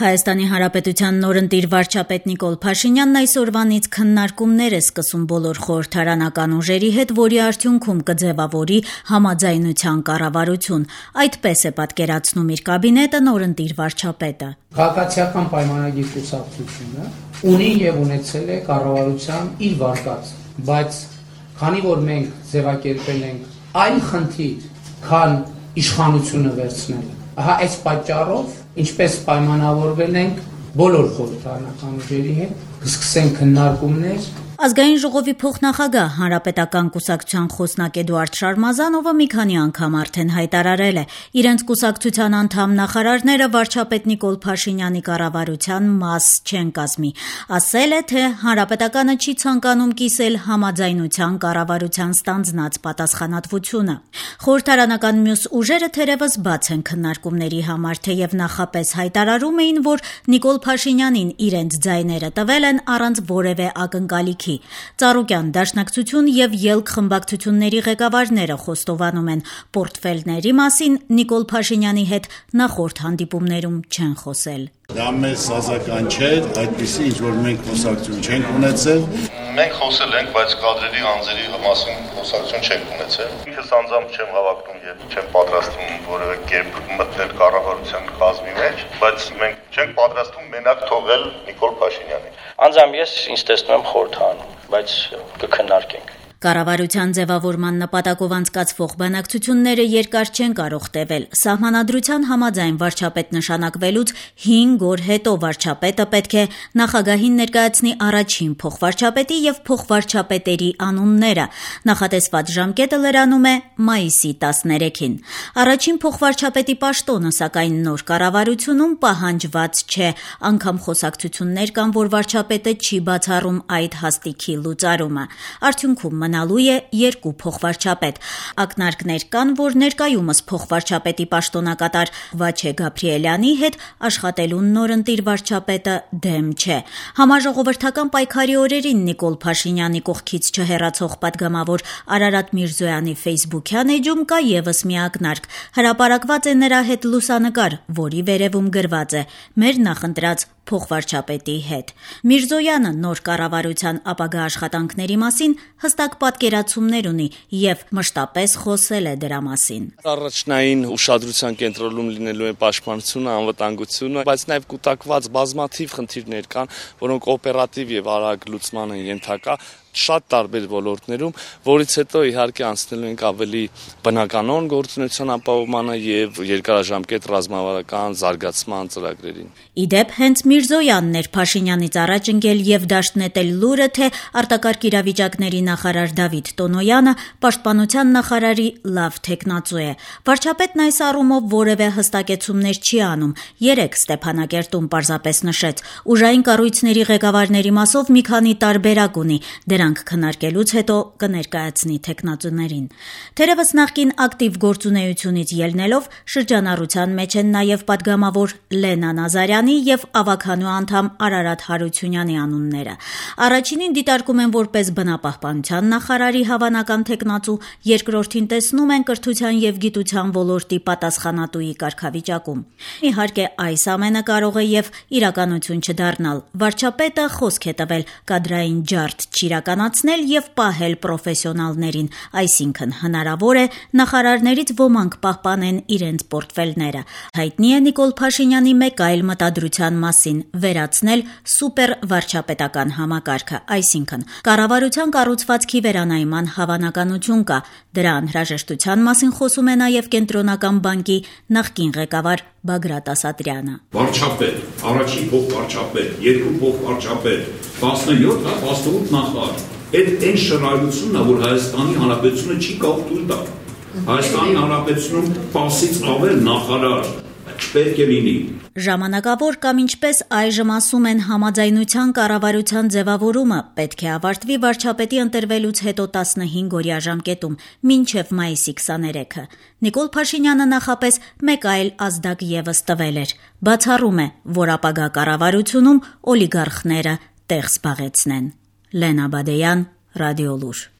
Հայաստանի Հանրապետության նորընտիր վարչապետ Նիկոլ Փաշինյանն այսօրվանից քննարկումներ է սկսում բոլոր խորհրդարանական ուժերի հետ, որի արդյունքում կձևավորի համաձայնության կառավարություն։ Այդպես է պատկերացնում իր կաբինետը նորընտիր վարչապետը։ Քաղաքացիական պայմանագիր կուսակցությունը ունի եւ ունեցել է կառավարության իր վարկած, բայց քանի որ մենք ձևակերպել ենք այլ խնդիր, քան իշխանությունը վերցնելը, ահա այս պատճառով ինչպես պայմանավորվել ենք բոլոր խորհրդարանական ուժերի հետ, կսկսենք քննարկումներ։ Ազգային ժողովի փոխնախագահ Հանրապետական կուսակցության խոսնակ Էդուարդ Շարմազանովը մի քանի անգամ արդեն հայտարարել է, իրենց կուսակցության անդամ նախարարները վարչապետ Նիկոլ Փաշինյանի կառավարության մաս չեն կազմի։ Ասել է, թե Հանրապետականը չի ցանկանում կիսել համաձայնության կառավարության ստանձնած պատասխանատվությունը։ Խորհրդարանական մյուս ուժերը թերևս բաց են քննարկումների համար, թեև նախապես հայտարարում էին, որ Նիկոլ Փաշինյանին իրենց ձայները տվել են առանց որևէ ակնկալիքի։ Ծառուկյան դաշնակցություն եւ ելք խմբակցությունների ղեկավարները խոստովանում են, պորտֆելների մասին Նիկոլ Փաշինյանի հետ նախորդ հանդիպումներում չեն խոսել։ Դա մեզ սազական չէր, այդպիսի ինչ-որ մենք խոսակցություն չենք ունեցել։ Մենք խոսել ենք, բայց կադրերի անձերի մասին խոսակցություն չենք ունեցել։ Ինքս անձամբ չեմ հավակնում եւ չեմ պատրաստվում որևէ կերպ մտնել կառավարության կազմի մեջ, բայց մենք չենք պատրաստվում մենակ թողել Նիկոլ Փաշինյանին։ Անձամբ ես ինձ տեսնում եմ խորհրդանում, բայց կքննարկենք։ Կառավարության ձևավորման նպատակով անցկացվող բանակցությունները երկար չեն կարող տևել։ Սահմանադրության համաձայն վարչապետ նշանակվելուց 5 օր հետո վարչապետը պետք է նախագահին ներկայացնի առաջին փոխվարչապետի եւ փոխվարչապետերի անունները։ Նախատեսված ժամկետը լրանում է մայիսի 13-ին։ Առաջին փոխվարչապետի պաշտոնը, սակայն նոր կառավարությունում պահանջված չէ, անգամ խոսակցություններ կան, որ վարչապետը չի բացառում այդ հաստիքի լուծարումը։ Արդյունքում մնալու է 2 փոխվարչապետ։ Ակնարկներ կան, որ ներկայումս փոխվարչապետի պաշտոնակատար Վաչե Գաբրիելյանի հետ աշխատելու նորընտիր վարչապետը դեմ չէ։ Համաժողովրդական պայքարի օրերին Նիկոլ Փաշինյանի կողքից չհեռացող պատգամավոր Արարատ Միրզոյանի ֆեյսբուքյան էջում կա եւս մի ակնարկ։ Հրապարակված է նրա հետ լուսանկար, որի վերևում գրված է. «Մեր նախընտրած փոխվարչապետի հետ»։ Միրզոյանը նոր կառավարության ապագա աշխատանքների մասին հստակ պատկերացումներ ունի եւ մշտապես խոսել է դրա մասին։ Առաջնային ուշադրության կենտրոնում լինելու է պաշտպանությունը, անվտանգությունը, բայց նաեւ կուտակված բազմաթիվ խնդիրներ կան, որոնք օպերատիվ եւ արագ լուծման են ենթակա շատ տարբեր ոլորտներում, որից հետո իհարկե անցնելու ենք ավելի բնականոն գործունեության ապահովմանը եւ երկարաժամկետ ռազմավարական զարգացման ծրագրերին։ Իդեպ հենց Միրզոյանն էր Փաշինյանից առաջ ընկել եւ դաշտ նետել լուրը, թե արտակարգ իրավիճակների նախարար Դավիթ Տոնոյանը պաշտպանության նախարարի լավ թեկնածու է։ Վարչապետն այս առումով որևէ հստակեցումներ չի անում։ Երեք Ստեփանակերտում պարզապես նշեց. ուժային կառույցների ղեկավարների մասով մի քանի տարբերակ ունի, դրանք քննարկելուց հետո կներկայացնի թեկնածուներին։ Թերևս նախկին ակտիվ գործունեությունից ելնելով շրջանառության մեջ են նաև պատգամավոր Լենա Նազարյանի եւ ավագանու անդամ Արարատ Հարությունյանի անունները։ Առաջինին դիտարկում են որպես բնապահպանության նախարարի հավանական թեկնածու, երկրորդին տեսնում են կրթության եւ գիտության ոլորտի պատասխանատուի կարգավիճակում։ Իհարկե, այս ամենը կարող է եւ իրականություն չդառնալ։ Վարչապետը խոսք է տվել կադրային ջարդ չիրականացնել եւ պահել պրոֆեսիոնալներին, այսինքն հնարավոր է նախարարներից ոմանք պահպանեն իրենց պորտֆելները։ Հայտնի է Նիկոլ Փաշինյանի մեկ այլ մտադրության մասին՝ վերացնել սուպեր վարչապետական համակարգը, այսինքն կառավարության կառուցվածքի վերանայման հավանականություն կա։ Դրա անհրաժեշտության մասին խոսում է նաեւ Կենտրոնական բանկի նախկին ղեկավար Բագրատ Ասատրյանը։ Վարչապետ, առաջին փոխվարչապետ, 2 փոխվարչապետ, 17, 18 նախարար։ Այդ այն շռայլությունն է, որ Հայաստանի Հանրապետությունը չի կարող թույլ տալ։ Հայաստանի Հանրապետությունում 10-ից ավել նախարար չպետք է լինի։ Ժամանակավոր կամ ինչպես այժմ ասում են համաձայնության կառավարության ձևավորումը պետք է ավարտվի վարչապետի ընտրվելուց հետո 15-օրյա ժամկետում, մինչև մայիսի 23-ը։ Նիկոլ Փաշինյանը նախապես մեկ այլ ազդակ եւս տվել էր։ Բացառում է, որ ապագա կառավարությունում օլիգարխները տեղ զբաղեցնեն։ Լենա Բադեյան, Ռադիոլուր։